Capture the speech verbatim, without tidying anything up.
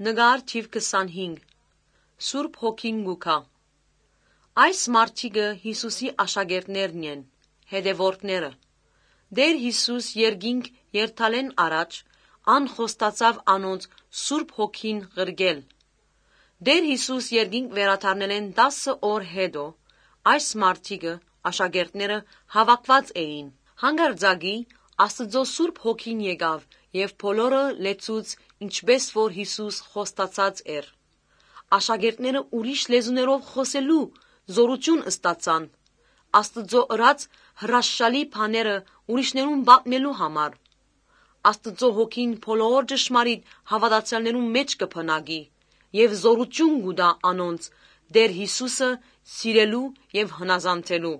Նկար թիվ քսանհինգ։ Սուրբ Հոգին կու գայ։ Այս մարդիկը Յիսուսի աշակերտներն են, հետեւորդները։ Տէր Յիսուս երկինք երթալէն առաջ ան խոստացաւ անոնց Սուրբ Հոգին ղրկել։ Տէր Յիսուս երկինք վերադառնելէն տասը օր յետոյ այս մարդիկը, աշակերտները, հաւաքուած էին։ Հանկարծակի Աստուծոյ Սուրբ Հոգին եկաւ եւ բոլորը լեցուց, ինչպէս որ Յիսուս խոստացած էր։ Աշակերտները ուրիշ լեզուներով խօսելու զօրութիւն ստացան, Աստուծոյ ըրած հրաշալի բաները ուրիշներուն պատմելու համար։ Աստուծոյ Հոգին բոլոր ճշմարիտ հաւատացեալներուն մէջ կը բնակի եւ զօրութիւն կու տայ անոնց Տէր Յիսուսը սիրելու եւ հնազանդելու։